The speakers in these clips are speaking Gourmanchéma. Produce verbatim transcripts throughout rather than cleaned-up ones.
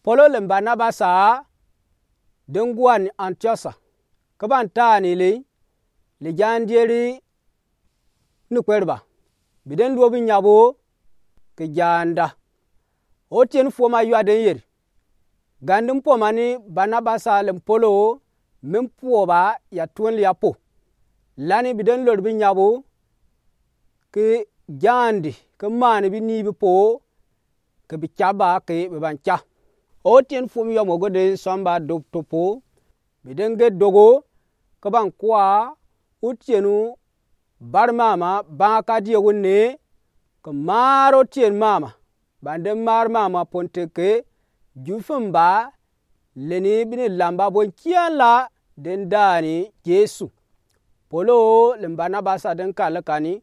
Polo le Barnabasa, de ngua ni Antiɔsa, ke ban taani le, le jandieri ni kwɛreba. Bi de luo bi nyabo ke janda. Otieni fuom a yua de yeri, gandi mpoma ni Barnabasa le Polo, mi mpuoba ya tuonle ya po. Lani bi de lori bi nyabo ke jandi, ke maani binii bi po, ke bi caba ke bi ban ca. Otieni fuom yɔmɔ go de sɔmba dop topo, bi de ge dogo, ke ban kua otieni bar mama, ban ka die wu ne, ke mar otieni mama. Ban de mar mama ponte ke, ju fimba, leni bini lamba bon kian la, de daani Yesu. Polo le Barnabasa de kale kani,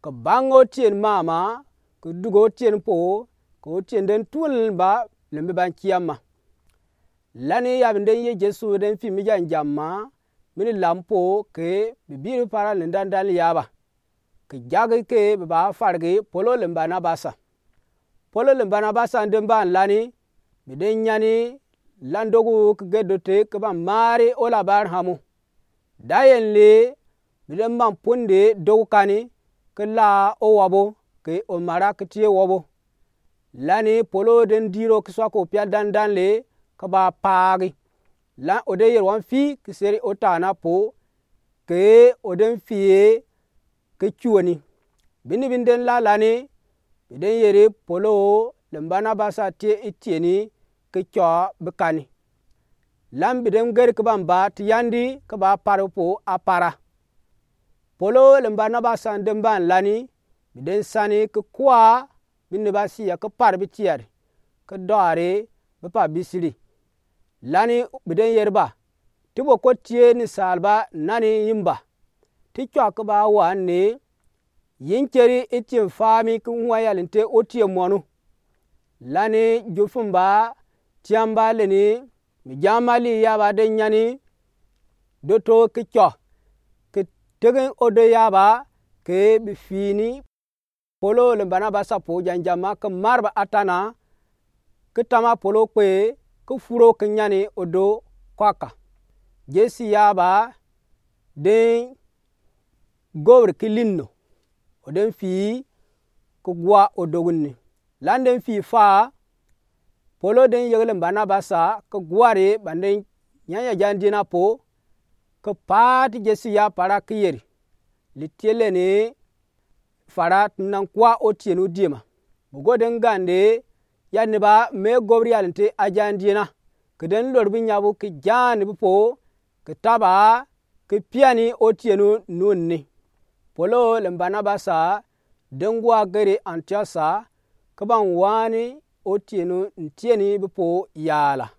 ke ban otieni mama, ke dug otieni po, ke otieni de tuonle ba, le mi ban kian ma. Lani ya bi de ye Yesu de fii mi janjamma, mini lam po ke bi biri para ni dandan yaba. Ke jagi ke bi ba fargi Polo le Barnabasa. Polo le Barnabasa de ban lani, bi de nyani, lan dogu ke ge dote ke ban mari o labar hamu. Dayen le, bi de man punde dogu kani, ke la o wabo, ke o mara ke tie wabo. Lani Polo de diro ke swa ko pia dandan le, ke ba paagi. Lan o de yeri wan fii ke seri o tana po, ke o de fii ke cuoni. Bini bi de la lani, bi de yeri Polo le Barnabasa tie itieni ke cua bi kani. Lan bi de geri ke ban ba ti yandi ke ba par po apara. Polo le Barnabasa de ban lani, bi de sani ke kua, bini ba sia ke par bi tiari, ke dɔre, bi pa bisiri. Lani bi de yeri ba, ti bo ko tie ni salba nani yimba. Ti cua ke ba wan ne, yin keri itien fami ke ŋua yalinte otie mɔnu. Lani ju fimba, tiamba leni, mi jama li yaba de nyani, doto ke cua, ke tegen odo yaba, ke bi fini Polo le Barnabasa po janjamma ke marba atana, ke tama Polo kpe, ke furo ke nyani odo kwaka. Jesi yaba, de gobri ke linno, o de fii ke gua odo gunni. Lan de fii fa, Polo de yegi le Barnabasa ke guari ban de nyanya jandiena po, ke pati Jesi ya para ke yeri. Li tie leni fara ti nan kua otieni diema. Bugo de gande, ya ni ba me gobri yalinte ajandiena. Ke de lori bi nyabu ke jani bi po, ke taba, ke piani otieni nunni. Polo le Barnabasa, de ngua geri Antiɔsa, ke ban wani otieni ntieni bi po yala.